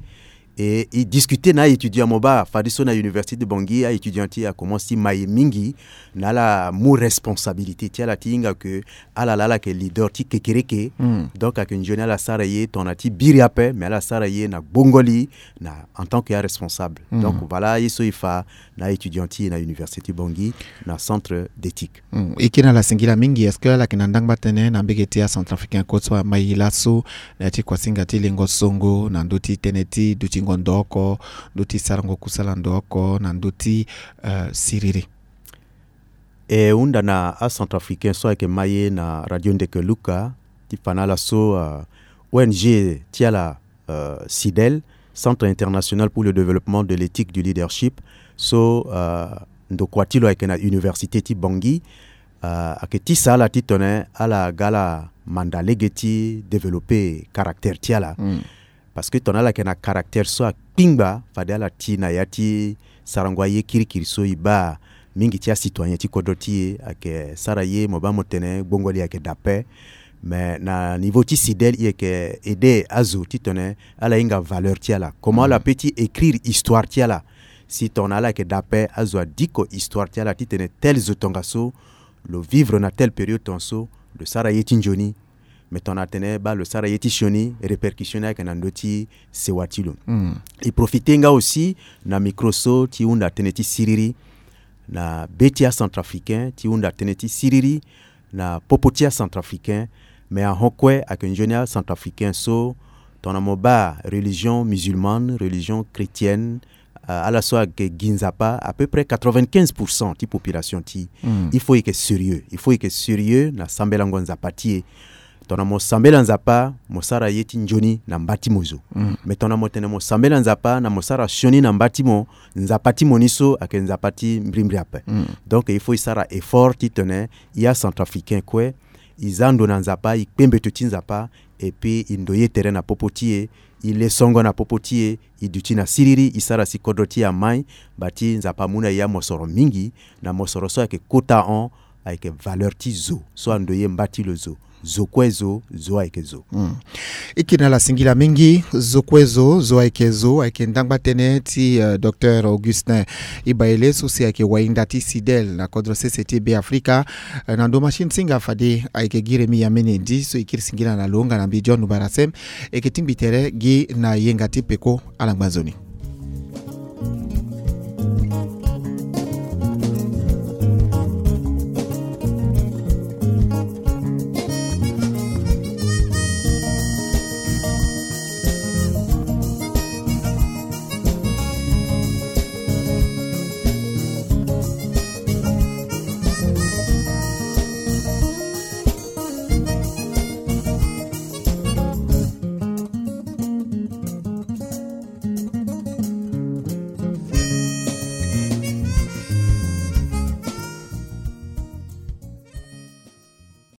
Et e discuter na a-étudiant, mo baa fadeso na université de Bangui, a-étudiant ti e akomanse ti mai mingi, na ala mu responsabilité ti ala ti hinga ke ala laa ala yeke leader ti kekereke. Mm. Donc ayeke nzoni ala sara ye tongana ti biri ape, mais ala sara ye na gbongoli, na en tant que aresponsable. Mm. Donc voilà ye so e fa na a-étudiant ti e na université ti Bangui, na centre d'éthique. Mm. E kiri na ala singila mingi, est-ce que ala yeke na ndangba tënë na mbege ti acentrafricain kue so amai laso, na ya ti kuasinga ti lengo songo, na ndö ti tënë ti dutingo ndo oko, ndö ti sarango kusala ndo oko, na ndö ti, euh, siriri? E hunda na acentrafricain so ayeke mai ye na Radio Ndeke Luka, ti fa na ala so, euh, O N G ti ala, euh, CIDEL, Centre International pour le Développement de l'Éthique du Leadership, so, euh, ndokua ti lo ayeke na université ti Bangui, euh, ayeke tisa ala titene ala ga ala manda lege ti développer caractère ti ala. Mm. Parce que tongana ala yeke na caractère so akpingba, fade ala ti na ya ti sarango aye kirikiri so e baa mingi ti acitoyen ti kodro ti e ayeke sara ye mo baa mo tene gbongo li ayeke dape. Mais na niveau ti CIDEL e yeke aider azo titene ala hinga valeur ti ala, comment ala peut ti écrire histoire ti ala. Si tongana ala yeke dape, azo adiko histoire ti ala titene tel zo tongaso lo vivre na telle période tongaso, lo sara ye ti nzoni. Mais tongana atene baa lo sara ye ti sioni, répercussion ni ayeke na ndö ti sewa ti lo. E profiter nga aussi na micro so ti hunda tënë ti siriri na be ti acentrafricain, ti hunda tënë ti siriri na popo ti acentrafricain. Mais ahon kue ayeke nzoni acentrafricain so, tongana mo baa religion musulmane, religion chrétienne, euh, ala so ayeke gi Nzapa, à peu près quatre-vingt-quinze pour cent ti population ti e. Il faut e yeke sérieux, il faut e yeke sérieux na sambelango Nzapa ti e. Tongana mo sambela Nzapa, mo sara ye ti nzoni na mba ti mo zo. Mais tongana mo tene mo sambela Nzapa na mo sara sioni na mba ti mo, Nzapa ti mo ni so ayeke Nzapa ti mbrimbri ape. Donc il faut e sara effort titene e acentrafricain kue, e za ndo na Nzapa, e kpe mbeto ti Nzapa, et puis e ndoye tere na popo ti e, e le songo na popo ti e, e duti na siriri, e sara si kodro ti e amai. Bati Nzapa amu na e amosoro mingi, na mosoro so ayeke kota hon, ayeke valeur ti zo so andoye mba ti lo zo. Zo kue zo, zo ayeke zo. E kiri na ala singila mingi. Zo kue zo, zo ayeke zo, ayeke ndangba tënë ti, euh, docteur Augustin Ibaele so si ayeke wainda ti CIDEL na kodro sese ti Be Afrika. Euh, na ndo machine singa fade ayeke gi Remi Yamene Ndi so e kiri singila na lo nga na mbi John Ubarasem. E yeke tingbi tere gi na yenga ti peko. Ala ngba nzoni.